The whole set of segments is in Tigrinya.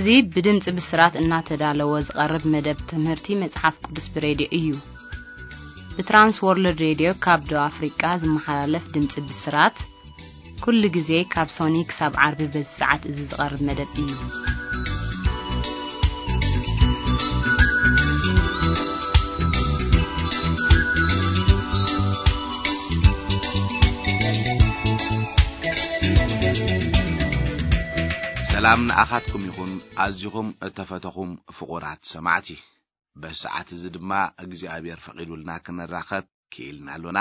እዚ ብድምጺ ብስራት እናተዳለወ ዝቐርብ መደብ ትምህርቲ መጽሓፍ ቅዱስ ብሬድዮ እዩ። ብትራንስ ወርልድ ሬድዮ ካብ ደቡብ ኣፍሪቃ ዝመሓላለፍ ድምጺ ብስራት፣ ኩሉ ግዜ ካብ ሶኒ ክሳብ ዓርቢ በዚ ሰዓት እዚ ዝቐርብ መደብ እዩ። ሰላም ንኣኻትኩም ይኹን፣ ኣዚኹም እተፈተኹም ፍቑራት ሰማዕቲ። በዚ ሰዓት እዚ ድማ እግዚኣብሔር ፈቒዱልና ክንራኸብ ክኢልና ኣሎና።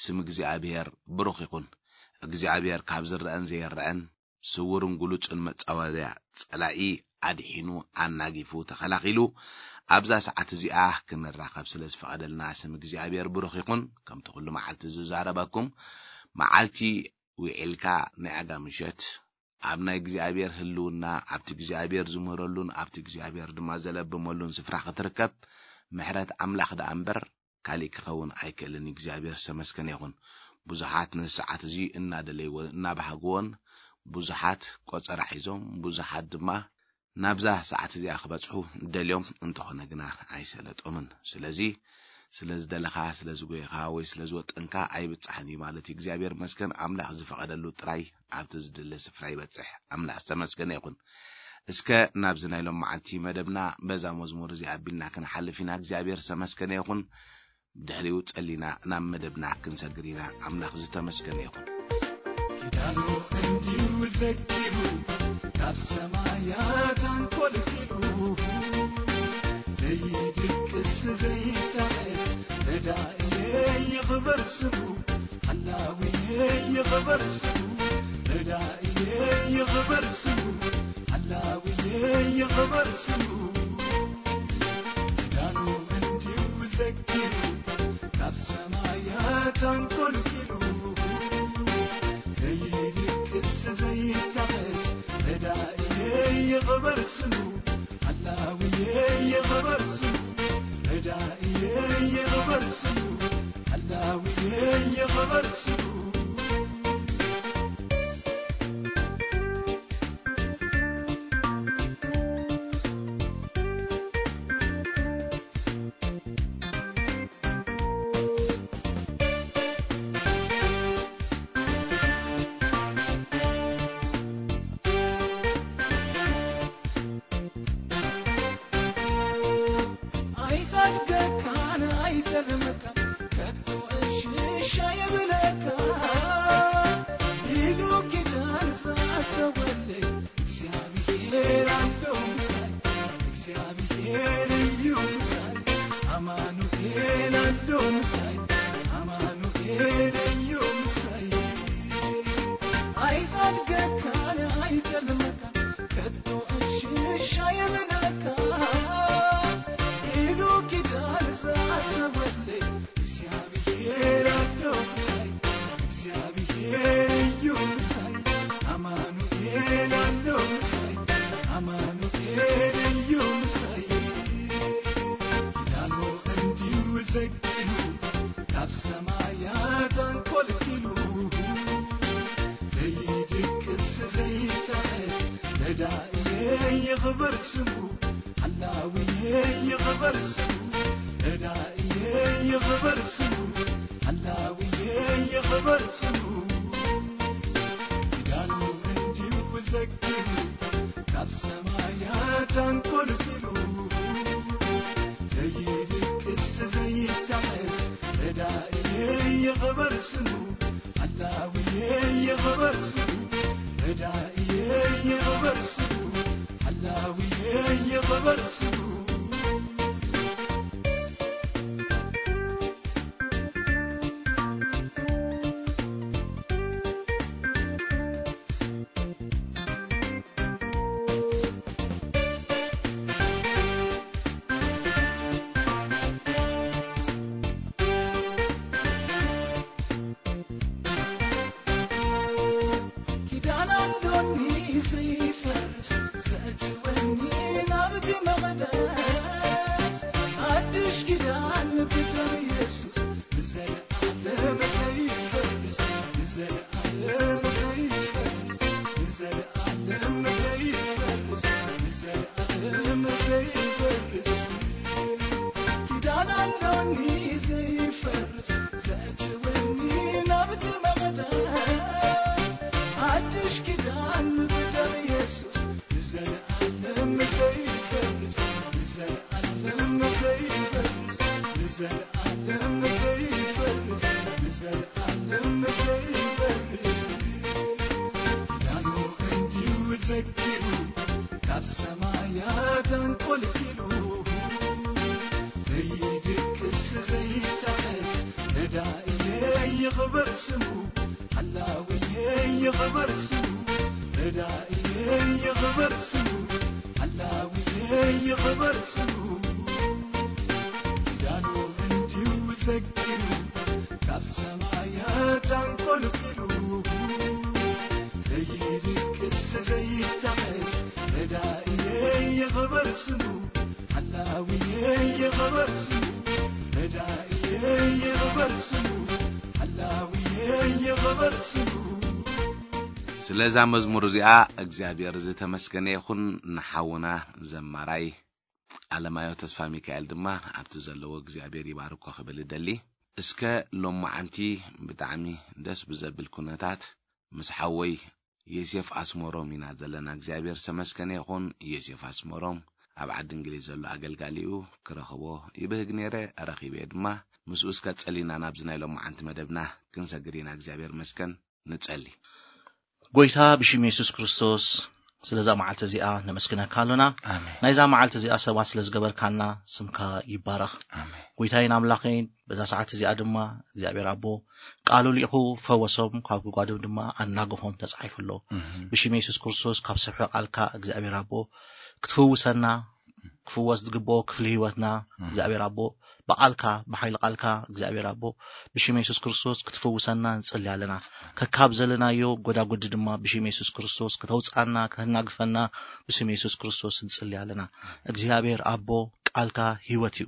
ስም እግዚኣብሔር ብሩኽ ይኹን። እግዚኣብሔር ካብ ዝረአን ዘይረአን፣ ስውርን ግሉጽን መጻወድያ ጸላኢ ኣድሒኑ፣ ኣናጊፉ፣ ተኸላኺሉ፣ ኣብዛ ሰዓት እዚኣ ክንራኸብ ስለ ዝፈቐደልና ስም እግዚኣብሔር ብሩኽ ይኹን። ከምቲ ኩሉ መዓልቲ ዝዛረበኩም፣ መዓልቲ ውዒልካ ናይ ኣጋ ምሸት ኣብ ናይ እግዚኣብሔር ህልውና፣ ኣብቲ እግዚኣብሔር ዝምህረሉን ኣብቲ እግዚኣብሔር ድማ ዘለብመሉን ስፍራ ክትርከብ ምሕረት ኣምላኽ ደኣ እምበር ካሊእ ክኸውን ኣይክእልን። እግዚኣብሔር ዝተመስገነ ይኹን። ብዙሓት ነዚ ሰዓት እዚ እናደለይዎን እናባህግዎን፣ ብዙሓት ቆጸራ ሒዞም፣ ብዙሓት ድማ ናብዛ ሰዓት እዚኣ ክበጽሑ ደልዮም፣ እንተኾነ ግና ኣይሰለጦምን። ስለዚ ስለ ዝደለኻ፣ ስለ ዝጎየኻ ወይ ስለ ዝወጠንካ ኣይብጻሕን እዩ ማለት እዩ። እግዚኣብሔር መስገን፣ ኣምላኽ ዝፈቐደሉ ጥራይ ኣብቲ ዝድለ ስፍራ ይበጽሕ። ኣምላኽ ዝተመስገነ ይኹን። እስከ ናብዚ ናይ ሎም መዓልቲ መደብና በዛ መዝሙር እዚኣ ኣቢልና ክንሓልፍ ኢና። እግዚኣብሔር ዝተመስገነ ይኹን። ብድሕሪኡ ጸሊና ናብ መደብና ክንሰግር ኢና። ኣምላኽ ዝተመስገነ ይኹን። ኪዳኑ እንዲሁ ዘኪሩ፣ ካብ ሰማያት ኣንኮልኪሉ፣ ዘይድቅስ ዘይታእስ ረዳእየ ይኽበር ስሙ፣ ሓላውየ ይኽበር ስሙ፣ ረዳእየ ይኽበር ስሙ፣ ሓላውየ ይኽበር ስሙ። ኪዳኑ እንዲሁ ዘኪሩ፣ ካብ ሰማያት ኣንኮልኪሉ፣ ዘይድቅስ ዘይታኸስ ረዳእየ ይኽበር ስሙ፣ ሓላውየ ይኽበር ስሙ፣ ረዳእየ ይኽበር ስሙ፣ ሓላውየ ይኽበር ስሙ። ኣይሓድገካን ኣይጠልመካን ከቶ እሽሽ ኣይብለካ ኢሉ ኪዳን ዝኣተወለይ እግዚኣብሔር ኣሎ ምሳይ፣ እግዚኣብሔር እዩ ምሳይ፣ ኣማኑኤል ኣሎ ምሳይ፣ ኣማኑኤል እዩ ምሳይ። ኣይሓድገካን ኣይጠልመካን ከቶ እሽሽ ኣይብለካ ኢሉ ኪዳን ዝኣተወለይ እግዚኣብሔር ኣሎ ምሳይ፣ እግዚኣብሔር እዩ ምሳይ፣ ኣማኑኤል ኣሎ ምሳይ፣ ኣማኑኤል እዩ ምሳይ። ኪዳኑ እንዲሁ ዘኪሩ፣ ካብ ሰማያት ኣንኮልኪሉ፣ ዘይድቅስ ዘይታእስ ረዳእየ ይኽበር ስሙ፣ ሓላውየ ይኽበር ስሙ፣ ረዳእየ ይኽበር ስሙ፣ ሓላውየ ይኽበር ስሙ። ኪዳኑ እንዲሁ ዘኪሩ፣ ካብ ሰማያት ኣንኮልኪሉ፣ ዘይድቅስ ዘይታእስ ረዳእየ ይኽበር ስሙ፣ ሓላውየ ይኽበር ስሙ፣ ረዳእየ ይኽበር ስሙ፣ ሓላውየ ይኽበር ስሙ። ኪዳን ኣሎኒ ዘይፈርስ ዘእትወኒ ናብቲ መቕደስ፣ ሓድሽ ኪዳን ብደም የሱስ ንዘለኣለም ዘይፈርስ፣ ንዘለኣለም ዘይፈርስ፣ ንዘለኣለም ዘይፈርስ፣ ንዘለ ኪዳን ብደም ኢየሱስ ንዘለኣለም ዘይፈርስ፣ ንዘለኣለም ዘይፈርስ፣ ንዘለኣለም ዘይፈርስ፣ ንዘለኣለም ዘይፈርስ። ኪዳኑ እንዲሁ ዘኪሩ ካብ ሰማያት ኣንቆልቂሉ ዘይድቅስ ዘይታኸስ ረዳኢየ ይኽበር ስሙ፣ ሓላዊየ ይኽበር ስሙ፣ ረዳኢየ ይኽበር ስሙ፣ ሓላዊየ ይኽበር ስሙ። ኪዳኑ እንዲሁ ዘኪሩ ካብ ሰማያት ኣንቆልቂሉ ዘይድቅስ ዘይታኸስ ረዳኢየ ይኽበር ስሙ፣ ሓላዊየ ይኽበር ስሙ፣ ረዳኢየ ይኽበር ስሙ፣ ሓላዊየ ይኽበር ስሙ። ስለዛ መዝሙር እዚኣ እግዚኣብሔር ዝተመስገነ ይኹን። ንሓውና ዘማራይ ኣለማዮ ተስፋ ሚካኤል ድማ ኣብቲ ዘለዎ እግዚኣብሔር ይባርኮ ክብል እደሊ። እስከ ሎማዓንቲ ብጣዕሚ ደስ ብዘብል ኩነታት ምስ ሓወይ ዮሴፍ ኣስመሮም ኢና ዘለና። እግዚኣብሔር ዝተመስገነ ይኹን። ዮሴፍ ኣስመሮም ኣብ ዓዲ እንግሊዝ ዘሎ ኣገልጋሊኡ ክረኽቦ ይብህግ ነይረ፣ ረኺበ ድማ። ምስኡ እስከ ጸሊና ናብዚ ናይ ሎማዓንቲ መደብና ክንሰግር ኢና። እግዚኣብሔር መስገን ንጸሊ። ጎይታ ብሽም የሱስ ክርስቶስ ስለዛ መዓልቲ እዚኣ ነመስግነካ ኣሎና። ኣሜን። ናይዛ መዓልቲ እዚኣ ሰባት ስለ ዝገበርካና ስምካ ይባረኽ። ኣሜን። ጎይታይን ኣምላኸይን በዛ ሰዓት እዚኣ ድማ እግዚኣብሔር ኣቦ ቃሉ ልኢኹ ፈወሶም፣ ካብ ጉድጓዶም ድማ ኣናገፎም ተጻሒፉ ኣሎ። እህ። ብሽም የሱስ ክርስቶስ ካብ ስፍሒ ቃልካ እግዚኣብሔር ኣቦ ክትፍውሰና፣ ክፍወስ ዝግብኦ ክፍሊ ህይወትና እህ። እግዚኣብሔር ኣቦ ብቃልካ ብሓይሊ ቃልካ እግዚኣብሔር ኣቦ ብሽም የሱስ ክርስቶስ ክትፍውሰና ንጽሊ ኣለና። ከካብ ዘለናዮ ጎዳጉዲ ድማ ብሽም የሱስ ክርስቶስ ከተውፅኣና ከተናግፈና ብስም የሱስ ክርስቶስ ንጽሊ ኣለና። እግዚኣብሔር ኣቦ ቃልካ ህይወት እዩ፣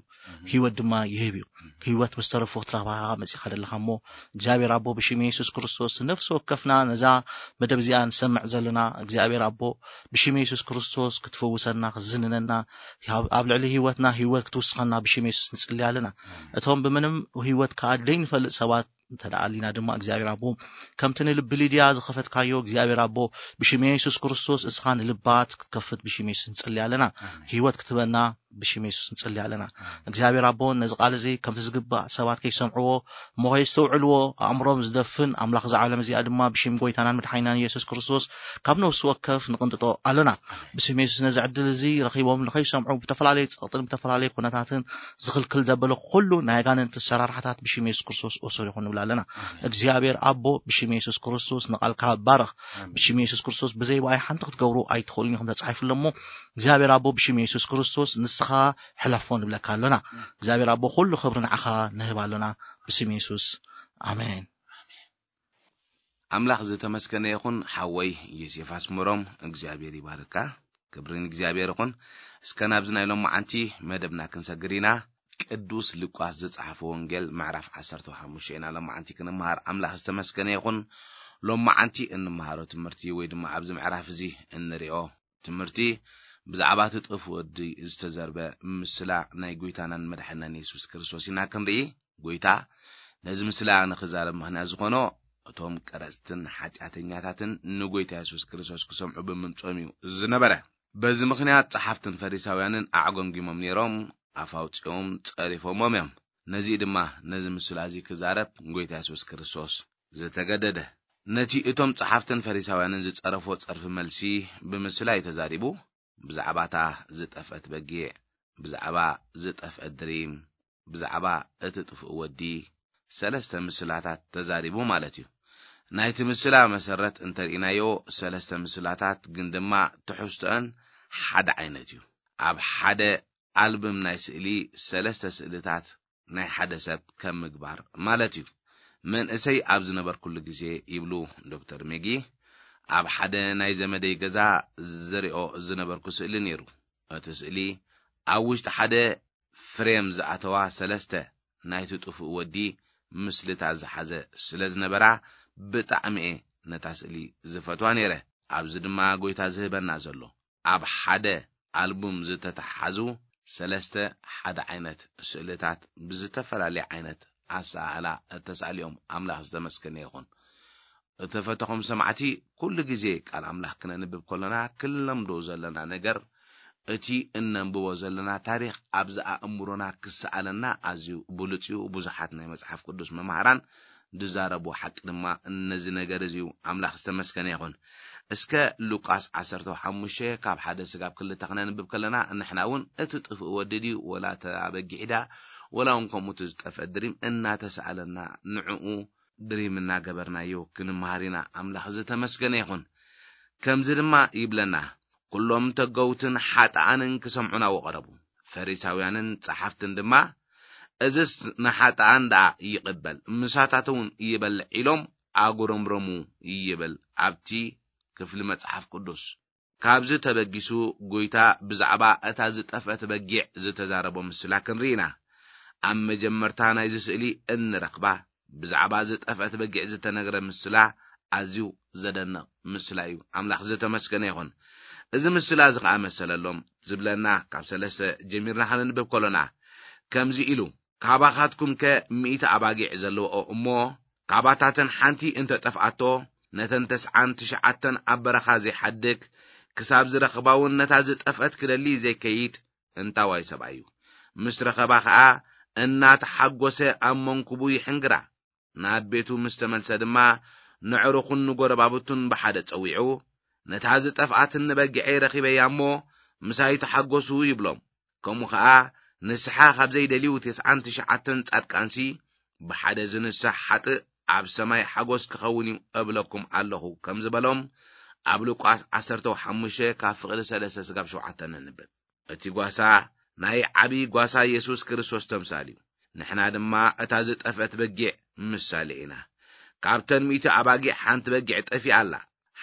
ህይወት ድማ ይህብ እዩ። ህይወት ምስ ተረፉ ክትረኽባ መጺኻ ዘለኻ እሞ እግዚኣብሔር ኣቦ ብሽም የሱስ ክርስቶስ ነፍሲ ወከፍና ነዛ መደብ እዚኣ ንሰምዕ ዘለና እግዚኣብሔር ኣቦ ብሽም የሱስ ክርስቶስ ክትፈውሰና ክትዝንነና ኣብ ኣብ ልዕሊ ህይወትና ህይወት ክትውስኸና ብሽም የሱስ ንጽሊ ኣለና። እቶም ብምንም ህይወት ከኣ ደይንፈልጥ ሰባት እንተ ደኣ ኣሊና ድማ እግዚኣብሔር ኣቦ ከምቲ ንልቢ ሊድያ ዝኸፈትካዮ እግዚኣብሔር ኣቦ ብሽም የሱስ ክርስቶስ እስኻ ንልባት ክትከፍት ብሽም የሱስ ንጽሊ ኣለና። ህይወት ክትበና ብሽም የሱስ ንጽሊ ኣለና። እግዚኣብሔር ኣቦ ነዚ ቃል እዚ ከምቲ ዝግባእ ሰባት ከይሰምዕዎ እሞ ከይስተውዕልዎ ኣእምሮም ዝደፍን ኣምላኽ እዛ ዓለም እዚኣ ድማ ብሽም ጎይታናን መድሓኒናን የሱስ ክርስቶስ ካብ ነፍሲ ወከፍ ንቕንጥጦ ኣለና። ብስም የሱስ ነዚ ዕድል እዚ ረኺቦም ንኸይሰምዑ ብተፈላለየ ጸቕጥን ብተፈላለየ ኩነታትን ዝኽልክል ዘበለ ኩሉ ናይ ኣጋንንቲ ኣሰራርሓታት ብሽም የሱስ ክርስቶስ እሱር ይኹን ንብል ኣለና። እግዚኣብሔር ኣቦ ብሽም የሱስ ክርስቶስ ንቓልካ ባርኽ። ብሽም የሱስ ክርስቶስ ብዘይ ብኣይ ሓንቲ ክትገብሩ ኣይትኽእሉን ኢኹም ተጻሒፉ ኣሎ እሞ እግዚኣብሔር ኣቦ ብሽም የሱስ ክርስቶስ ንስኻ ሕለፎ ንብለካ ኣሎና። እግዚኣብሔር ኣቦ ኩሉ ክብሪ ንዓኻ ንህብ ኣሎና ብስም የሱስ ኣሜን። ኣምላኽ ዝተመስገነ ይኹን። ሓወይ ዮሴፍ ኣስመሮም እግዚኣብሔር ይባርካ። ክብሪ ንእግዚኣብሔር ይኹን። እስከ ናብዚ ናይ ሎማዓንቲ መደብና ክንሰግር ኢና። ቅዱስ ሉቃስ ዝጸሓፎ ወንጌል ምዕራፍ ዓሰርተ ሓሙሽተ ኢና ሎማዓንቲ ክንመሃር። ኣምላኽ ዝተመስገነ ይኹን። ሎማዓንቲ እንመሃሮ ትምህርቲ ወይ ድማ ኣብዚ ምዕራፍ እዚ እንሪኦ ትምህርቲ ብዛዕባ እቲ ጥፉእ ወዲ ዝተዘርበ ምስላ ናይ ጎይታናን መድሓናን የሱስ ክርስቶስ ኢና ክንርኢ። ጎይታ ነዚ ምስላ ንኽዛረብ ምኽንያት ዝኾኖ እቶም ቀረጽትን ሓጢኣተኛታትን ንጎይታ የሱስ ክርስቶስ ክሰምዑ ብምምጾም እዩ ዝነበረ። በዚ ምኽንያት ጸሓፍትን ፈሪሳውያንን ኣዕጎምጊሞም ነይሮም፣ ኣፍ ኣውጺኦም ጸሪፎሞም እዮም። ነዚ ድማ ነዚ ምስላ እዚ ክዛረብ ጎይታ የሱስ ክርስቶስ ዝተገደደ። ነቲ እቶም ጸሓፍትን ፈሪሳውያንን ዝጸረፎ ጸርፊ መልሲ ብምስላ እዩ ተዛሪቡ። ብዛዕባ እታ ዝጠፍአት በጊዕ፣ ብዛዕባ ዝጠፍአ ድሪም፣ ብዛዕባ እቲ ጥፉእ ወዲ ሰለስተ ምስላታት ተዛሪቡ ማለት እዩ። ናይቲ ምስላ መሰረት እንተርኢናዮ ሰለስተ ምስላታት ግን ድማ ትሕዝቶአን ሓደ ዓይነት እዩ። ኣብ ሓደ ኣልብም ናይ ስእሊ ሰለስተ ስእልታት ናይ ሓደ ሰብ ከም ምግባር ማለት እዩ። መንእሰይ ኣብ ዝነበርኩሉ ግዜ ይብሉ ዶክተር ሜጊ፣ ኣብ ሓደ ናይ ዘመደይ ገዛ ዝሪኦ ዝነበርኩ ስእሊ ነይሩ። እቲ ስእሊ ኣብ ውሽጢ ሓደ ፍሬም ዝኣተዋ ሰለስተ ናይቲ ጥፉእ ወዲ ምስልታት ዝሓዘ ስለ ዝነበራ ብጣዕሚ እየ ነታ ስእሊ ዝፈትዋ ነይረ። ኣብዚ ድማ ጎይታ ዝህበና ዘሎ ኣብ ሓደ ኣልቡም ዝተተሓሓዙ ሰለስተ ሓደ ዓይነት ስእልታት ብዝተፈላለየ ዓይነት ኣሰኣእላ እተሳእልዮም ኣምላኽ ዝተመስገነ ይኹን። እተፈተኹም ሰማዕቲ፣ ኩሉ ግዜ ቃል ኣምላኽ ክነንብብ ከሎና ክንለምዶ ዘለና ነገር፣ እቲ እነንብቦ ዘለና ታሪኽ ኣብዚ ኣእምሮና ክሰኣለና ኣዝዩ ብሉጽ እዩ። ብዙሓት ናይ መጽሓፍ ቅዱስ መማህራን ዝዛረብዎ ሓቂ ድማ ነዚ ነገር እዚ እዩ። ኣምላኽ ዝተመስገነ ይኹን። እስከ ሉቃስ ዓሰርተ ሓሙሽተ ካብ ሓደ ስጋብ ክልተ ክነንብብ ከለና፣ ንሕና እውን እቲ ጥፍእ ወዲ ድዩ ወላ እታ በጊዕ ድያ፣ ወላ እውን ከምኡ እቲ ዝጠፍአ ድሪም እናተሰኣለና ንዕኡ ድሪም እናገበርናዮ ክንመሃር ኢና። ኣምላኽ ዝተመስገነ ይኹን። ከምዚ ድማ ይብለና፣ ኩሎም ተገውትን ሓጥኣንን ክሰምዑና ወቐረቡ። ፈሪሳውያንን ጸሓፍትን ድማ፣ "እዝስ ንሓጥኣን ደኣ ይቕበል፣ ምሳታት እውን ይበልዕ" ኢሎም ኣጉረምረሙ ይብል ኣብቲ ክፍሊ መጽሓፍ ቅዱስ። ካብዚ ተበጊሱ፣ ጎይታ ብዛዕባ እታ ዝጠፍአት በጊዕ ዝተዛረቦ ምስላ ክንርኢ ኢና። ኣብ መጀመርታ ናይዚ ስእሊ እንረኽባ፣ ብዛዕባ ዝጠፍአት በጊዕ ዝተነግረ ምስላ ኣዝዩ ዘደንቕ ምስላ እዩ። ኣምላኽ ዝተመስገነ ይኹን። እዚ ምስላ እዚ ኸኣ መሰለሎም ዝብለና፣ ካብ ሰለስተ ጀሚርና ከነንብብ ከሎና፣ ከምዚ ኢሉ፣ "ካባኻትኩም ከ ሚእቲ ኣባጊዕ ዘለውኦ እሞ፣ ካባታተን ሓንቲ እንተ ጠፍኣቶ፣ ነተን ተስዓን ትሽዓተን ኣብ በረኻ ዘይሓድግ፣ ክሳብ ዝረኽባ እውን ነታ ዝጠፍአት ክደሊ ዘይከይድ እንታዋይ ሰብኣይ እዩ። ምስ ረኸባ ኸኣ እናተሓጎሰ ኣብ መንኩቡ ይሕንግራ። ናብ ቤቱ ምስ ተመልሰ ድማ፣ ነዕሩኹን ንጎረባብቱን ብሓደ ጸዊዑ፣ 'ነታ ዝጠፍኣትኒ በጊዐይ ረኺበያ እሞ፣ ምሳይ ተሓጎሱ' ይብሎም። ከምኡ ኸኣ ንስሓ ካብ ዘይደልዩ ተስዓን ትሽዓተን ጻድቃንሲ፣ ብሓደ ዝንሳሕ ሓጥእ ኣብ ሰማይ ሓጎስ ክኸውን እዩ እብለኩም ኣለኹ" ከም ዝበሎም፣ ኣብ ሉቃስ ዓሰርተ ሓሙሽተ ካብ ፍቕዲ ሰለስተ ስጋብ ሸውዓተ ነንብብ። እቲ ጓሳ ናይ ዓቢ ጓሳ የሱስ ክርስቶስ ተምሳል እዩ። ንሕና ድማ እታ ዝጠፍአት በጊዕ ምሳሌ ኢና። ካብተን ሚእቲ ኣባጊዕ ሓንቲ በጊዕ ጠፊኣ ኣላ።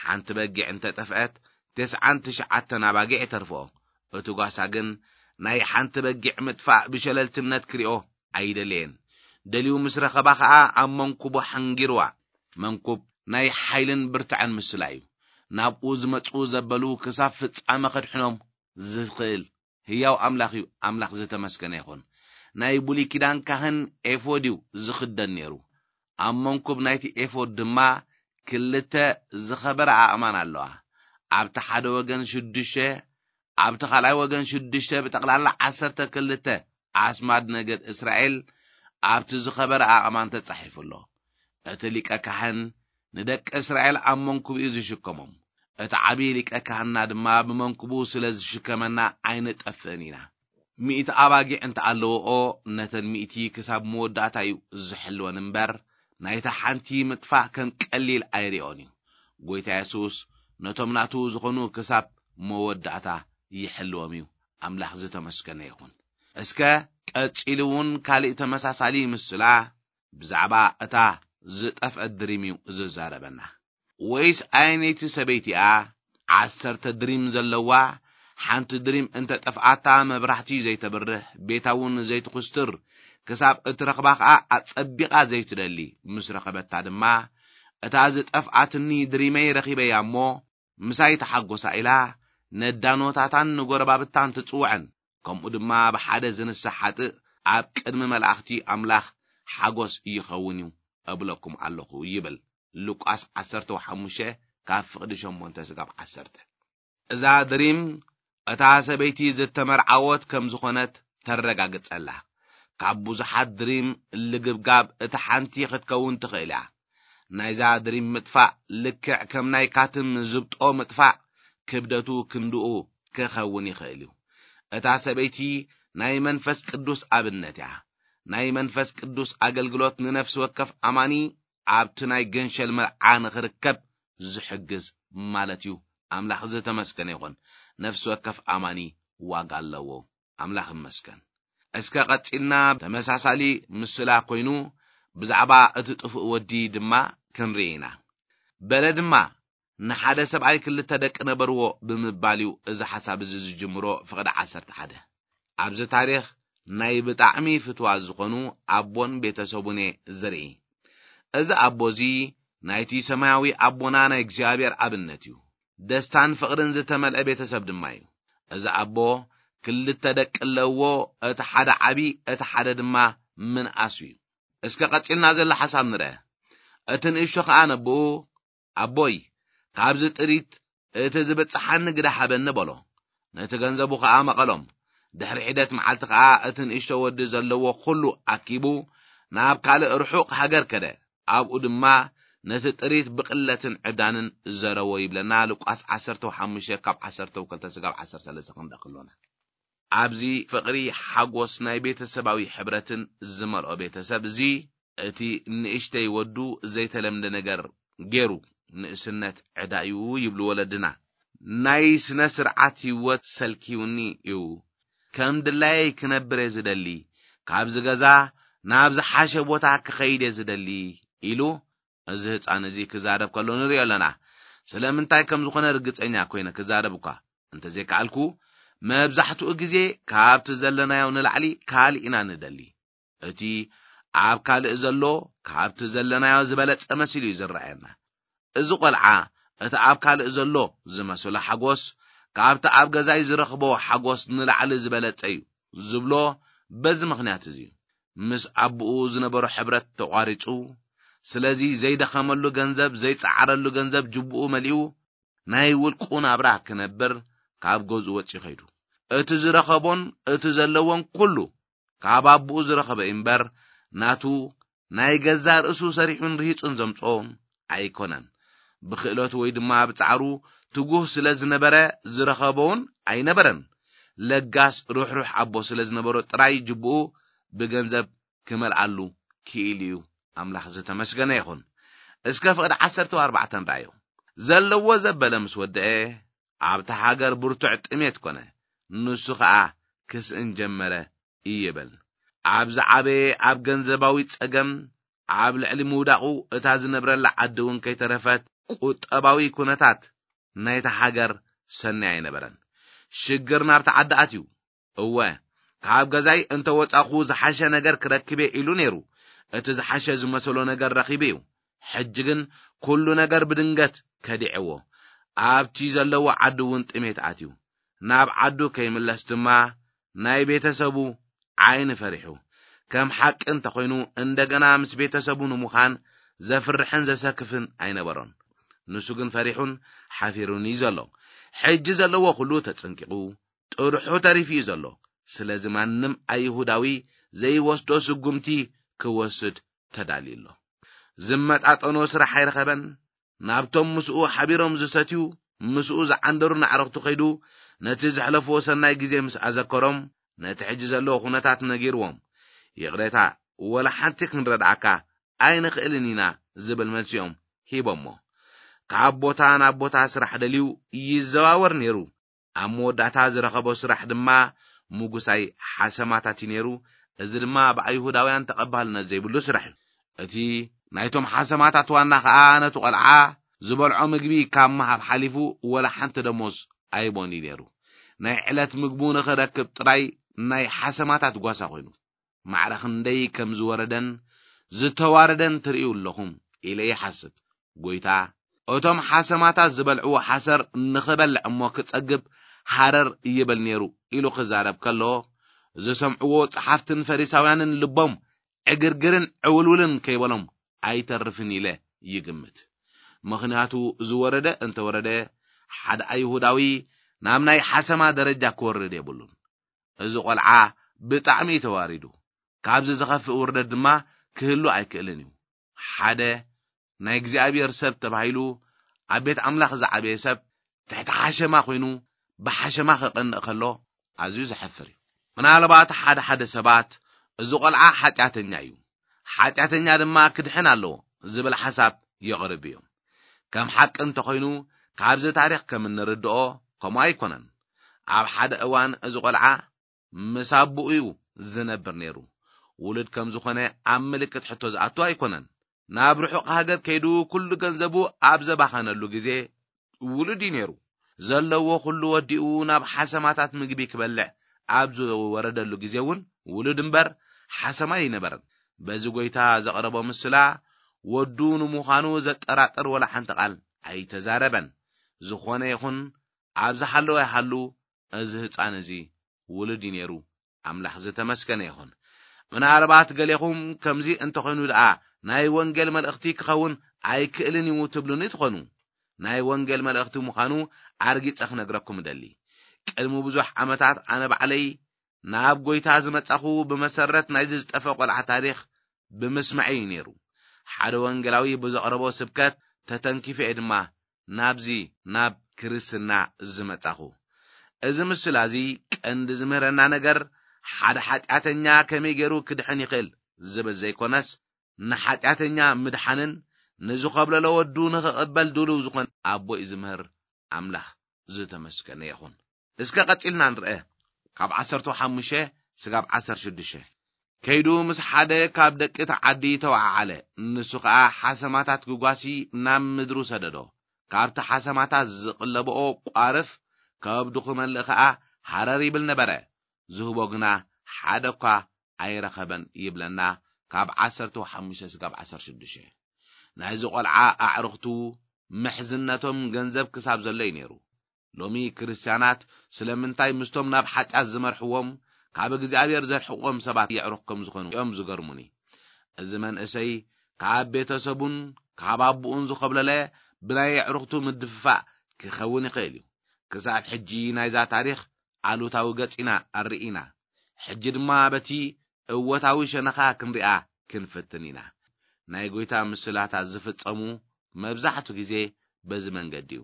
ሓንቲ በጊዕ እንተ ጠፍአት፣ ተስዓን ትሽዓተን ኣባጊዕ ይተርፍኦ። እቲ ጓሳ ግን ናይ ሓንቲ በጊዕ ምጥፋእ ብሸለልትነት ክሪኦ ኣይደለየን። ደልዩ ምስ ረኸባ ኸኣ ኣብ መንኩቡ ሓንጊርዋ። መንኩብ ናይ ሓይልን ብርትዐን ምስላ እዩ። ናብኡ ዝመጹ ዘበሉ ክሳብ ፍጻመ ከድሕኖም ዝኽእል ህያው ኣምላኽ እዩ። ኣምላኽ ዝተመስገነ ይኹን። ናይ ብሉይ ኪዳን ካህን ኤፎድ እዩ ዝኽደን ነይሩ። ኣብ መንኩብ ናይቲ ኤፎድ ድማ ክልተ ዝኸበረ ኣእማን ኣለዋ። ኣብቲ ሓደ ወገን ሽዱሽተ፣ ኣብቲ ካልኣይ ወገን ሽዱሽተ፣ ብጠቕላላ ዓሰርተ ክልተ ኣስማድ ነገድ እስራኤል ኣብቲ ዝኸበረ ኣእማን ተጻሒፉ ኣሎ። እቲ ሊቀ ካህን ንደቂ እስራኤል ኣብ መንኩቡ እዩ ዝሽከሞም። እቲ ዓቢ ሊቀ ካህንና ድማ ብመንኩቡ ስለ ዝሽከመና ኣይንጠፍእን ኢና። ሚእቲ ኣባጊዕ እንተ ኣለውኦ፣ ነተን ሚእቲ ክሳብ መወዳእታ እዩ ዝሕልወን እምበር፣ ናይታ ሓንቲ ምጥፋእ ከም ቀሊል ኣይሪኦን እዩ። ጎይታ የሱስ ነቶም ናቱ ዝኾኑ ክሳብ መወዳእታ ይሕልዎም እዩ። ኣምላኽ ዝተመስገነ ይኹን። እስከ ቀጺሉ እውን ካልእ ተመሳሳሊ ምስላ ብዛዕባ እታ ዝጠፍአት ድሪም እዩ ዝዛረበና። "ወይስ ኣየነይቲ ሰበይቲ እያ ዓሰርተ ድሪም ዘለዋ፣ ሓንቲ ድሪም እንተ ጠፍኣታ መብራህቲ ዘይተብርህ፣ ቤታ እውን ዘይትኹስትር፣ ክሳብ እትረኽባ ኸኣ ኣጸቢቓ ዘይትደሊ፣ ምስ ረኸበታ ድማ፣ እታ ዝጠፍኣትኒ ድሪመይ ረኺበያ እሞ፣ ምሳይ ተሓጎሳ" ኢላ ነዳኖታታን ንጎረባብታን ትጽውዐን፣ ከምኡ ድማ ብሓደ ዝንሳሕ ሓጥእ ኣብ ቅድሚ መላእኽቲ ኣምላኽ ሓጎስ ይኸውን እዩ እብለኩም ኣለኹ ይብል። ሉቃስ ዓሰርተ ሓሙሽተ ካብ ፍቕዲ ሸሞንተ ስጋብ ዓሰርተ። እዛ ድሪም እታ ሰበይቲ ዝተመርዓወት ከም ዝኾነት ተረጋግጸላ። ካብ ብዙሓት ድሪም ልግብጋብ እታ ሓንቲ ክትከውን ትኽእል እያ። ናይዛ ድሪም ምጥፋእ ልክዕ ከም ናይ ካትም ዝብጦ ምጥፋእ ክብደቱ ክንድኡ ክኸውን ይኽእል እዩ። እታ ሰበይቲ ናይ መንፈስ ቅዱስ ኣብነት እያ። ናይ መንፈስ ቅዱስ ኣገልግሎት ንነፍሲ ወከፍ ኣማኒ ኣብቲ ናይ ገንሸል መርዓ ንኽርከብ ዝሕግዝ ማለት እዩ። ኣምላኽ ዝተመስገነ ይኹን። ነፍሲ ወከፍ ኣማኒ ዋጋ ኣለዎ። ኣምላኽ ይመስገን። እስከ ቀጺልና ተመሳሳሊ ምስላ ኮይኑ ብዛዕባ እቲ ጥፉእ ወዲ ድማ ክንርኢ ኢና። በለ ድማ፣ "ንሓደ ሰብኣይ ክልተ ደቂ ነበርዎ" ብምባል እዩ እዚ ሓሳብ እዚ ዝጅምሮ። ፍቕዲ ዓሰርተ ሓደ ኣብዚ ታሪኽ ናይ ብጣዕሚ ፍትዋት ዝኾኑ ኣቦን ቤተሰቡን እየ ዝርኢ። እዚ ኣቦ እዚ ናይቲ ሰማያዊ ኣቦና ናይ እግዚኣብሔር ኣብነት እዩ። ደስታን ፍቕርን ዝተመልአ ቤተሰብ ድማ እዩ። እዚ ኣቦ ክልተ ደቂ ኣለዎ፣ እቲ ሓደ ዓቢ፣ እቲ ሓደ ድማ ምንኣሱ እዩ። እስከ ቀጺልና ዘሎ ሓሳብ ንርአ። እቲ ንእሽቶ ኸኣ ነቦኡ ኣቦይ፣ ካብዚ ጥሪት እቲ ዝብጽሓኒ ግዳ ሃበኒ በሎ። ነቲ ገንዘቡ ኸኣ መቐሎም። ድሕሪ ሒደት መዓልቲ ኸኣ እቲ ንእሽቶ ወዲ ዘለዎ ኹሉ ኣኪቡ ናብ ካልእ ርሑቕ ሃገር ከደ። ኣብኡ ድማ ነቲ ጥሪት ብቕለትን ዕብዳንን ዘረዎ ይብለና ሉቃስ ዓሰርተ ሓሙሽተ ካብ ዓሰርተ ክልተ ስጋብ ዓሰርተ ሰለስተ ክንርኢ ከሎና። ኣብዚ ፍቕሪ ሓጎስ ናይ ቤተሰባዊ ሕብረትን ዝመልኦ ቤተሰብ እዚ እቲ ንእሽተይ ወዱ ዘይተለምደ ነገር ገይሩ። ንእስነት ዕዳ እዩ ይብሉ ወለድና። ናይ ስነ ስርዓት ህይወት ሰልኪውኒ እዩ። ከም ድላየይ ክነብር እየ ዝደሊ። ካብዚ ገዛ ናብ ዝሓሸ ቦታ ክኸይድ እየ ዝደሊ ኢሉ እዚ ህፃን እዚ ክዛረብ ከሎ ንሪኦ ኣለና። ስለምንታይ ከም ዝኾነ ርግፀኛ ኮይነ ክዛረብ እኳ እንተዘይከኣልኩ፣ መብዛሕትኡ ግዜ ካብቲ ዘለናዮ ንላዕሊ ካልእ ኢና ንደሊ። እቲ ኣብ ካልእ ዘሎ ካብቲ ዘለናዮ ዝበለጸ መሲሉ እዩ ዝረኣየና። እዚ ቆልዓ እቲ ኣብ ካልእ ዘሎ ዝመስሎ ሓጎስ ካብቲ ኣብ ገዛይ ዝረኽቦ ሓጎስ ንላዕሊ ዝበለጸ እዩ ዝብሎ በዚ ምኽንያት እዚ እዩ። ምስ ኣቦኡ ዝነበሮ ሕብረት ተቋሪጹ፣ ስለዚ ዘይደኸመሉ ገንዘብ፣ ዘይጸዓረሉ ገንዘብ ጅቡኡ መሊኡ ናይ ውልቁ ናብራ ክነብር ካብ ገዝኡ ወጺኡ ከይዱ። እቲ ዝረኸቦን እቲ ዘለዎን ኩሉ ካብ ኣቦኡ ዝረኸበ እምበር፣ ናቱ ናይ ገዛእ ርእሱ ሰሪሑን ርሂጹን ዘምጽኦ ኣይኮነን። ብክእለቱ ወይ ድማ ብጻዕሩ ትጉህ ስለ ዝነበረ ዝረኸቦውን ኣይነበረን። ለጋስ ርሕሩሕ ኣቦ ስለ ዝነበሮ ጥራይ ጅብኡ ብገንዘብ ክመልኣሉ ክኢሉ እዩ። ኣምላኽ ዝተመስገነ ይኹን። እስከ ፍቕዲ ዓሰርተ ኣርባዕተ ንርኣዮ። ዘለዎ ዘበለ ምስ ወደአ፣ ኣብታ ሃገር ብርቱዕ ጥሜት ኮነ። ንሱ ኸኣ ክስእን ጀመረ ይብል። ኣብ ዝዓበየ ኣብ ገንዘባዊ ጸገም ኣብ ልዕሊ ምውዳቑ፣ እታ ዝነብረላ ዓዲ እውን ከይተረፈት ቁጠባዊ ኩነታት ናይታ ሃገር ሰናይ ኣይነበረን። ሽግር ናብቲ ዓዲ ኣትዩ። እወ፣ ካብ ገዛይ እንተ ወጻኹ ዝሓሸ ነገር ክረክብ እየ ኢሉ ነይሩ። እቲ ዝሓሸ ዝመሰሎ ነገር ረኺቡ እዩ። ሕጂ ግን ኩሉ ነገር ብድንገት ከዲዕዎ። ኣብቲ ዘለዎ ዓዲ እውን ጥሜት ኣትዩ። ናብ ዓዱ ከይምለስ ድማ ናይ ቤተሰቡ ዓይኒ ፈሪሑ። ከም ሓቂ እንተኾይኑ፣ እንደገና ምስ ቤተሰቡ ንምዃን ዘፍርሕን ዘሰክፍን ኣይነበሮን። ንሱ ግን ፈሪሑን ሓፊሩን እዩ ዘሎ። ሕጂ ዘለዎ ኩሉ ተጸንቂቑ፣ ጥርሑ ተሪፉ እዩ ዘሎ። ስለዚ ማንም ኣይሁዳዊ ዘይወስዶ ስጉምቲ ክወስድ ተዳልዩ ኣሎ። ዝመጣጠኖ ስራሕ ኣይረኸበን። ናብቶም ምስኡ ሓቢሮም ዝሰትዩ፣ ምስኡ ዝዓንደሩ ናዕረኽቱ ከይዱ፣ ነቲ ዘሕለፍዎ ሰናይ ግዜ ምስ ኣዘከሮም፣ ነቲ ሕጂ ዘለዎ ኩነታት ነጊርዎም፣ "ይቕሬታ፣ ወላ ሓንቲ ክንረድኣካ ኣይንኽእልን ኢና" ዝብል መልሲኦም ሂቦሞ። ካብ ቦታ ናብ ቦታ ስራሕ ደልዩ ይዘዋወር ነይሩ። ኣብ መወዳእታ ዝረኸቦ ስራሕ ድማ ምጉሳይ ሓሰማታት እዩ ነይሩ። እዚ ድማ ብኣይሁዳውያን ተቐባልነት ዘይብሉ ስራሕ እዩ። እቲ ናይቶም ሓሰማታት ዋና ኸኣ ነቲ ቖልዓ ዝበልዖ ምግቢ ካብ ምሃብ ሓሊፉ ወላ ሓንቲ ደሞዝ ኣይቦን እዩ ነይሩ። ናይ ዕለት ምግቡ ንኽረክብ ጥራይ ናይ ሓሰማታት ጓሳ ኮይኑ፣ ማዕረ ክንደይ ከም ዝወረደን ዝተዋረደን ትርእዩ ኣለኹም ኢለ ይሓስብ። ጎይታ፣ "እቶም ሓሰማታት ዝበልዕዎ ሓሰር ንኽበልዕ እሞ ክጸግብ ሃረር ይብል ነይሩ" ኢሉ ክዛረብ ከሎ፣ ዝሰምዕዎ ጸሓፍትን ፈሪሳውያንን ልቦም ዕግርግርን ዕውልውልን ከይበሎም ኣይተርፍን ኢለ ይግምት። ምኽንያቱ ዝወረደ እንተወረደ፣ ሓደ ኣይሁዳዊ ናብ ናይ ሓሰማ ደረጃ ክወርድ የብሉን። እዚ ቖልዓ ብጣዕሚ እዩ ተዋሪዱ። ካብዚ ዝኸፍእ ውርደት ድማ ክህሉ ኣይክእልን እዩ። ሓደ ናይ እግዚኣብሔር ሰብ ተባሂሉ ኣብ ቤት ኣምላኽ ዝዓበየ ሰብ ትሕቲ ሓሸማ ኮይኑ ብሓሸማ ክቐንእ ከሎ ኣዝዩ ዘሕፍር እዩ። ምናልባት ሓደ ሓደ ሰባት "እዚ ቖልዓ ሓጢኣተኛ እዩ፣ ሓጢኣተኛ ድማ ክድሕን ኣለዎ" ዝብል ሓሳብ የቕርብ እዮም። ከም ሓቂ እንተኾይኑ፣ ካብዚ ታሪኽ ከም እንርድኦ ከምኡ ኣይኮነን። ኣብ ሓደ እዋን እዚ ቖልዓ ምስ ኣቦኡ እዩ ዝነብር ነይሩ። ውሉድ ከም ዝኾነ ኣብ ምልክት ሕቶ ዝኣቱ ኣይኮነን። ናብ ርሑቕ ሃገር ከይዱ ኩሉ ገንዘቡ ኣብ ዘባኸነሉ ግዜ ውሉድ እዩ ነይሩ። ዘለዎ ኩሉ ወዲኡ ናብ ሓሰማታት ምግቢ ክበልዕ ኣብ ዝወረደሉ ግዜ እውን ውሉድ እምበር ሓሰማ ኣይነበረን። በዚ ጎይታ ዘቕረቦ ምስላ ወዱ ንምዃኑ ዘጠራጥር ወላ ሓንቲ ቃል ኣይተዛረበን። ዝኾነ ይኹን፣ ኣብ ዝሃለወ ይሃሉ፣ እዚ ህጻን እዚ ውሉድ እዩ ነይሩ። ኣምላኽ ዝተመስገነ ይኹን። ምናልባት ገሌኹም ከምዚ እንተኾይኑ ደኣ ናይ ወንጌል መልእኽቲ ክኸውን ኣይክእልን እዩ ትብሉኒ ትኾኑ። ናይ ወንጌል መልእኽቲ ምዃኑ ኣርጊጸ ክነግረኩም እደሊ። ቅድሚ ብዙሕ ዓመታት ኣነ ባዕለይ ናብ ጎይታ ዝመጻኹ ብመሰረት ናይዚ ዝጠፈ ቆልዓ ታሪኽ ብምስማዕ እዩ ነይሩ። ሓደ ወንጌላዊ ብዘቕረቦ ስብከት ተተንኪፈ እየ ድማ ናብዚ ናብ ክርስትና ዝመጻኹ። እዚ ምስላ እዚ ቀንዲ ዝምህረና ነገር ሓደ ሓጢኣተኛ ከመይ ገይሩ ክድሕን ይኽእል ዝብል ዘይኮነስ ንሓጢኣተኛ ምድሓንን ንዝኸብለሎ ወዱ ንኽቕበል ድሉው ዝኾነ ኣቦ እዩ ዝምህር። ኣምላኽ ዝተመስገነ ይኹን። እስከ ቀጺልና ንርአ። ካብ ዓሰርተ ሓሙሽተ ስጋብ ዓሰርተ ሽዱሽተ። ከይዱ ምስ ሓደ ካብ ደቂ እቲ ዓዲ ተወዓዓለ። ንሱ ኸኣ ሓሰማታት ክጓሲ ናብ ምድሩ ሰደዶ። ካብቲ ሓሰማታት ዝቕለብኦ ቋርፍ ከብዱ ክመልእ ኸኣ ሃረር ይብል ነበረ። ዝህቦ ግና ሓደ እኳ ኣይረኸበን ይብለና። ካብ ዓሰርተ ሓሙሽተ ስጋብ ዓሰርተ ሽዱሽተ። ናይዚ ቆልዓ ኣዕርኽቱ ምሕዝነቶም ገንዘብ ክሳብ ዘሎ እዩ ነይሩ። ሎሚ ክርስትያናት ስለምንታይ ምስቶም ናብ ሓጢኣት ዝመርሕዎም ካብ እግዚኣብሔር ዘርሕቕዎም ሰባት የዕሩኽ ከም ዝኾኑ እዮም ዝገርሙኒ። እዚ መንእሰይ ካብ ቤተሰቡን ካብ ኣቦኡን ዝኸብለለ ብናይ ኣዕሩኽቱ ምድፍፋእ ክኸውን ይኽእል እዩ። ክሳብ ሕጂ ናይዛ ታሪኽ ኣሉታዊ ገጽ ኢና ኣርኢና። ሕጂ ድማ በቲ እወታዊ ሸነኻ ክንሪኣ ክንፍትን ኢና። ናይ ጎይታ ምስላታት ዝፍጸሙ መብዛሕቱ ግዜ በዚ መንገዲ እዩ።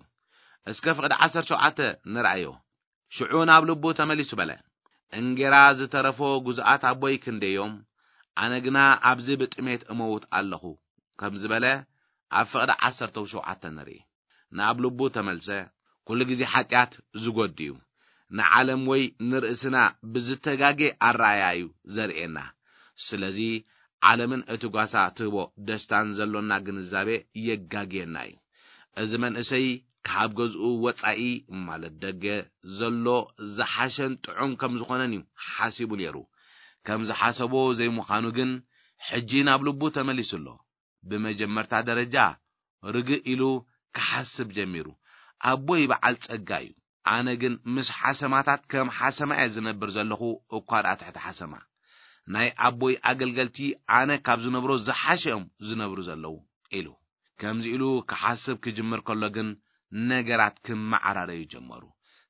እስከ ፍቕዲ ዓሰርተ ሸውዓተ ንርኣዮ። ሽዑ ናብ ልቡ ተመሊሱ በለ፣ "እንጌራ ዝተረፎ ጉዙኣት ኣቦይ ክንደዮም፣ ኣነ ግና ኣብዚ ብጥሜት እመውት ኣለኹ" ከም ዝበለ ኣብ ፍቕዲ ዓሰርተ ሸውዓተ ንርኢ። ናብ ልቡ ተመልሰ። ኩሉ ግዜ ሓጢኣት ዝጎድ እዩ። ንዓለም ወይ ንርእስና ብዝተጋጌ ኣረኣእያ እዩ ዘርእየና። ስለዚ ዓለምን እቲ ጓሳ ትህቦ ደስታን ዘሎና ግንዛቤ የጋግየና እዩ። እዚ መንእሰይ ካብ ገዝኡ ወጻኢ ማለት ደገ ዘሎ ዝሓሸን ጥዑም ከም ዝኾነን እዩ ሓሲቡ ነይሩ። ከም ዝሓሰቦ ዘይምዃኑ ግን ሕጂ ናብ ልቡ ተመሊሱ ኣሎ። ብመጀመርታ ደረጃ ርግእ ኢሉ ክሓስብ ጀሚሩ። ኣቦይ በዓል ጸጋ እዩ። ኣነ ግን ምስ ሓሰማታት ከም ሓሰማ እየ ዝነብር ዘለኹ፣ እኳ ደኣ ትሕቲ ሓሰማ። ናይ ኣቦይ ኣገልገልቲ ኣነ ካብ ዝነብሮ ዝሓሸ እዮም ዝነብሩ ዘለዉ ኢሉ። ከምዚ ኢሉ ክሓስብ ክጅምር ከሎ ግን ነገራት ክመዓራረዩ ጀመሩ።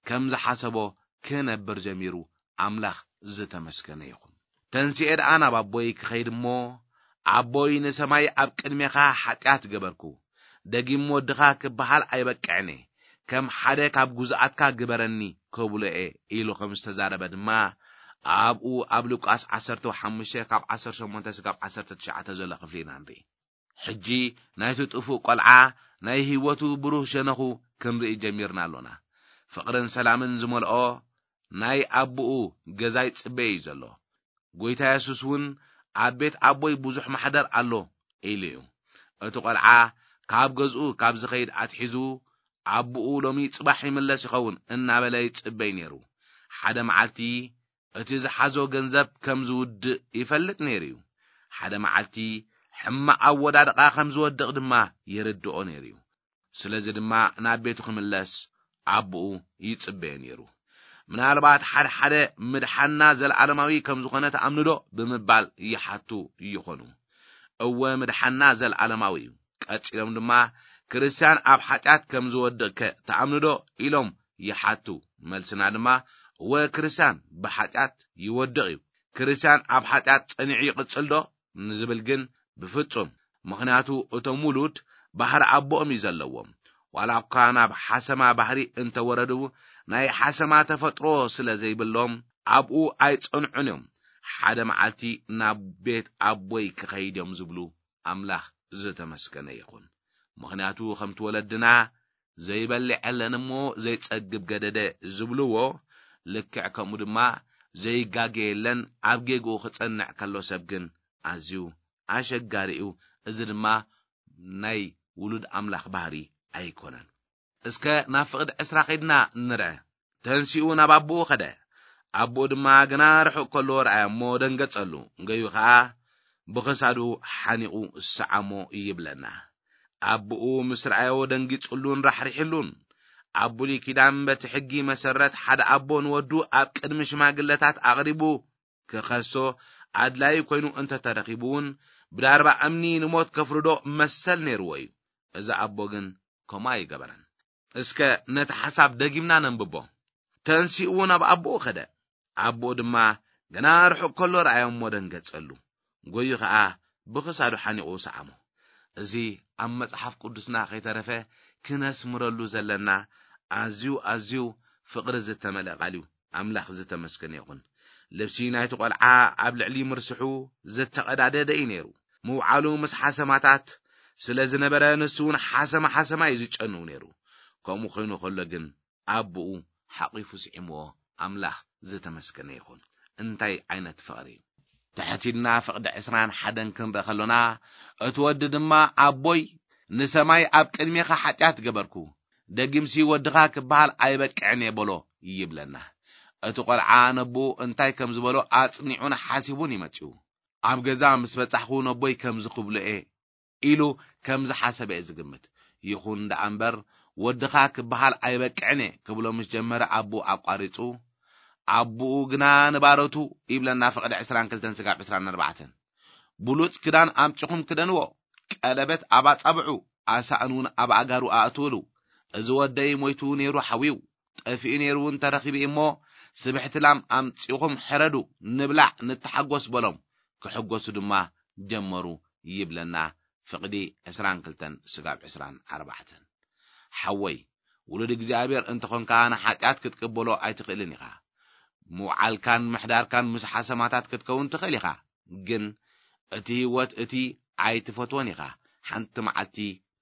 ከም ዝሓሰቦ ክነብር ጀሚሩ። ኣምላኽ ዝተመስገነ ይኹን። ተንሲኤ ደኣ ናብ ኣቦይ ክኸይድ እሞ፣ "ኣቦይ ንሰማይ ኣብ ቅድሜኻ ሓጢኣት ገበርኩ፣ ደጊም ወድኻ ክበሃል ኣይበቅዕን እየ፣ ከም ሓደ ካብ ጉዙኣትካ ግበረኒ" ክብሎ እየ ኢሉ ከም ዝተዛረበ ድማ ኣብኡ ኣብ ሉቃስ ዓሰርተ ሓሙሽተ ካብ ዓሰርተ ሸሞንተ ስጋብ ዓሰርተ ትሽዓተ ዘሎ ክፍሊ ኢና ንርኢ። ሕጂ ናይቲ ጥፉእ ቆልዓ ናይ ህይወቱ ብሩህ ሸነኹ ክንርኢ ጀሚርና ኣሎና። ፍቕርን ሰላምን ዝመልኦ ናይ ኣቦኡ ገዛ ይጽበዮ እዩ ዘሎ። ጎይታ የሱስ እውን፣ "ኣብ ቤት ኣቦይ ብዙሕ ማሕደር ኣሎ" ኢሉ እዩ። እቲ ቆልዓ ካብ ገዝኡ ካብ ዝኸይድ ኣትሒዙ፣ ኣቦኡ ሎሚ ጽባሕ ይምለስ ይኸውን እናበለ ይጽበይ ነይሩ። ሓደ መዓልቲ እቲ ዝሓዞ ገንዘብ ከም ዝውድእ ይፈልጥ ነይሩ እዩ። ሓደ መዓልቲ ሕማቕ ኣወዳድቓ ከም ዝወድቕ ድማ ይርድኦ ነይሩ እዩ። ስለዚ ድማ ናብ ቤቱ ክምለስ ኣቦኡ ይጽበዮ ነይሩ። ምናልባት ሓደ ሓደ ምድሓንና ዘለዓለማዊ ከም ዝኾነ ትኣምኑዶ ብምባል ይሓቱ ይኾኑ። እወ፣ ምድሓንና ዘለዓለማዊ እዩ። ቀጺሎም ድማ፣ "ክርስትያን ኣብ ሓጢኣት ከም ዝወድቕከ ትኣምኑዶ?" ኢሎም ይሓቱ። መልስና ድማ፣ "እወ፣ ክርስትያን ብሓጢኣት ይወድቕ እዩ። ክርስትያን ኣብ ሓጢኣት ጸኒዑ ይቕጽል ዶ?" ንዝብል ግን፣ ብፍጹም። ምኽንያቱ እቶም ውሉድ ባህሪ ኣቦኦም እዩ ዘለዎም። ዋላ እኳ ናብ ሓሰማ ባህሪ እንተወረዱ፣ ናይ ሓሰማ ተፈጥሮ ስለ ዘይብሎም ኣብኡ ኣይጸንዑን እዮም። ሓደ መዓልቲ ናብ ቤት ኣቦይ ክኸይድ እዮም ዝብሉ። ኣምላኽ ዝተመስገነ ይኹን። ምኽንያቱ ከምቲ ወለድና ዘይበልዕ የለን እሞ ዘይጸግብ ገደደ ዝብልዎ፣ ልክዕ ከምኡ ድማ ዘይጋገ የለን ኣብ ጌግኡ ክጸንዕ ከሎ ሰብ ግን ኣዝዩ ኣሸጋሪ እዩ። እዚ ድማ ናይ ውሉድ ኣምላኽ ባህሪ ኣይኮነን። እስከ ናብ ፍቕዲ ዕስራ ኸይድና ንርአ። ተንሲኡ ናብ ኣቦኡ ኸደ። ኣቦኡ ድማ ግና ርሑቕ ከሎ ረኣዮ እሞ ደንገጸሉ። ገዩ ኸኣ ብኽሳዱ ሓኒቑ ሰዓሞ ይብለና። ኣቦኡ ምስ ረኣዮ ደንጊጹሉን ራሕሪሕሉን። ኣብ ብሉይ ኪዳን በቲ ሕጊ መሰረት ሓደ ኣቦ ንወዱ ኣብ ቅድሚ ሽማግለታት ኣቕሪቡ ክኸሶ ኣድላዪ ኮይኑ እንተተረኺቡ እውን ብዳርባ እምኒ ንሞት ከፍርዶ መሰል ነይርዎ እዩ። እዚ ኣቦ ግን ከምኡ ኣይገበረን። እስከ ነቲ ሓሳብ ደጊምና ነንብቦ። ተንሲኡ ናብ ኣቦኡ ከደ። ኣቦኡ ድማ ገና ርሑቕ ከሎ ረኣዮ እሞ ደንገጸሉ። ጎዩ ኸኣ ብኽሳዱ ሓኒቑ ሰዓሞ። እዚ ኣብ መጽሓፍ ቅዱስና ከይተረፈ ክነስምረሉ ዘለና ኣዝዩ ኣዝዩ ፍቕሪ ዝተመልአ ቃል እዩ። ኣምላኽ ዝተመስገነ ይኹን። ልብሲ ናይቲ ቈልዓ ኣብ ልዕሊ ምርስሑ ዝተቐዳደደ እዩ ነይሩ። ምውዓሉ ምስ ሓሰማታት ስለ ዝነበረ ንሱ እውን ሓሰማ ሓሰማ እዩ ዝጨንው ነይሩ። ከምኡ ኮይኑ ከሎ ግን ኣቦኡ ሓቒፉ ስዒምዎ። ኣምላኽ ዝተመስገነ ይኹን። እንታይ ዓይነት ፍቕሪ! ትሕት ኢልና ፍቕዲ ዕስራን ሓደን ክንርኢ ከሎና፣ እቲ ወዲ ድማ ኣቦይ ንሰማይ ኣብ ቅድሜኻ ሓጢኣት ገበርኩ፣ ደጊምሲ ወድኻ ክበሃል ኣይበቅዕን እየ በሎ ይብለና። እቲ ቈልዓ ነቦኡ እንታይ ከም ዝበሎ ኣጽኒዑን ሓሲቡን እዩ መጺኡ። ኣብ ገዛ ምስ በጻሕኹ ነቦይ ከምዚ ክብሎ እየ ኢሉ ከም ዝሓሰበ እየ ዝግምት። ይኹን ደኣ እምበር ወድኻ ክበሃል ኣይበቅዕን እየ ክብሎ ምስ ጀመረ ኣቦኡ ኣቋሪጹ። ኣቦኡ ግና ንባሮቱ ይብለና ፍቕዲ ዕስራን ክልተን ስጋብ ዕስራን ኣርባዕተን። ብሉጽ ክዳን ኣምጺኹም ክደንዎ፣ ቀለበት ኣብ ኣጻብዑ፣ ኣሳእን እውን ኣብ ኣእጋሩ ኣእትውሉ። እዚ ወደይ ሞይቱ ነይሩ ሓዊው፣ ጠፊኡ ነይሩ እውን ተረኺቡ እሞ፣ ስብሕቲ ላም ኣምጺኹም ሕረዱ፣ ንብላዕ፣ ንተሓጎስ በሎም። ክሕጎሱ ድማ ጀመሩ ይብለና ፍቕዲ ዕስራን ክልተን ስጋብ ዕስራን ኣርባዕተን። ሓወይ፣ ውሉድ እግዚኣብሔር እንተኾንካ ንሓጢኣት ክትቅበሎ ኣይትኽእልን ኢኻ። ምውዓልካን ምሕዳርካን ምስ ሓሰማታት ክትከውን ትኽእል ኢኻ፣ ግን እቲ ህይወት እቲ ኣይትፈትዎን ኢኻ። ሓንቲ መዓልቲ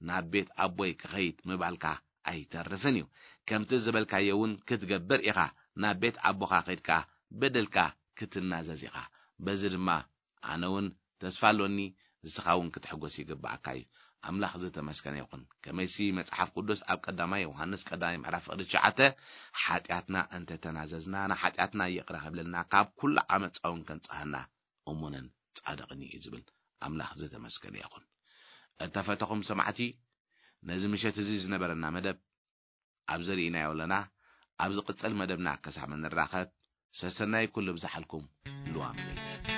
ናብ ቤት ኣቦይ ክኸይድ ምባልካ ኣይተርፍን እዩ። ከምቲ ዝበልካዮ እውን ክትገብር ኢኻ። ናብ ቤት ኣቦኻ ከይድካ በደልካ ክትናዘዝ ኢኻ። በዚ ድማ ኣነ እውን ተስፋ ኣሎኒ፣ ንስኻ እውን ክትሕጎስ ይግብኣካ እዩ። ኣምላኽ ዝተመስገነ ይኹን። ከመይሲ መጽሓፍ ቅዱስ ኣብ ቀዳማይ ዮሃንስ ቀዳማይ ምዕራፍ ፍቕዲ ትሽዓተ፣ ሓጢኣትና እንተተናዘዝና ንሓጢኣትና ይቕረ ክብለልና፣ ካብ ኩሉ ዓመፃ እውን ከንጽሃና እሙንን ጻድቕን እዩ ዝብል። ኣምላኽ ዝተመስገነ ይኹን። እተፈተኹም ሰማዕቲ፣ ነዚ ምሸት እዚ ዝነበረና መደብ ኣብዚ ርኢናዮ ኣለና። ኣብ ዝቕጽል መደብና ክሳብ እንራኸብ፣ ሰሰናይ ኩሉ ብዝሓልኩም። ልዋም ቤት።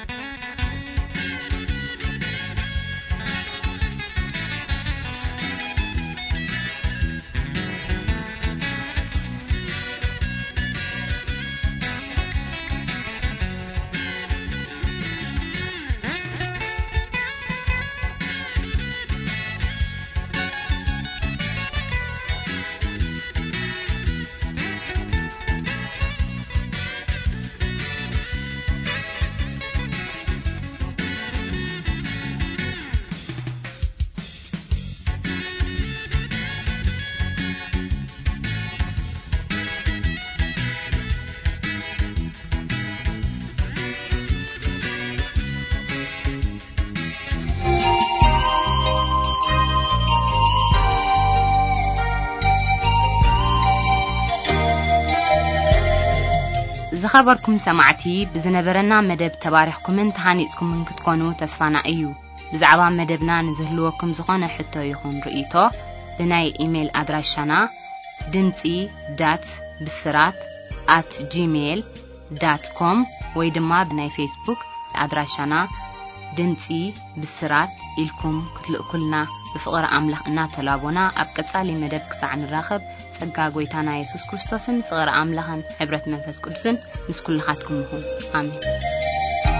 ዝኸበርኩም ሰማዕቲ፣ ብዝነበረና መደብ ተባሪኽኩምን ተሃኒጽኩምን ክትኮኑ ተስፋና እዩ። ብዛዕባ መደብና ንዝህልወኩም ዝኾነ ሕቶ ይኹን ርእይቶ፣ ብናይ ኢሜይል ኣድራሻና ድምጺ ዳት ብስራት ኣት ጂሜይል ዳት ኮም ወይ ድማ ብናይ ፌስቡክ ኣድራሻና ድምጺ ብስራት ኢልኩም ክትልእኩልና ብፍቕሪ ኣምላኽ እናተላቦና፣ ኣብ ቀጻሊ መደብ ክሳዕ ንራኸብ፣ ጸጋ ጐይታና የሱስ ክርስቶስን ፍቕሪ ኣምላኽን ሕብረት መንፈስ ቅዱስን ምስ ኩልኻትኩም ይኹን። ኣሜን።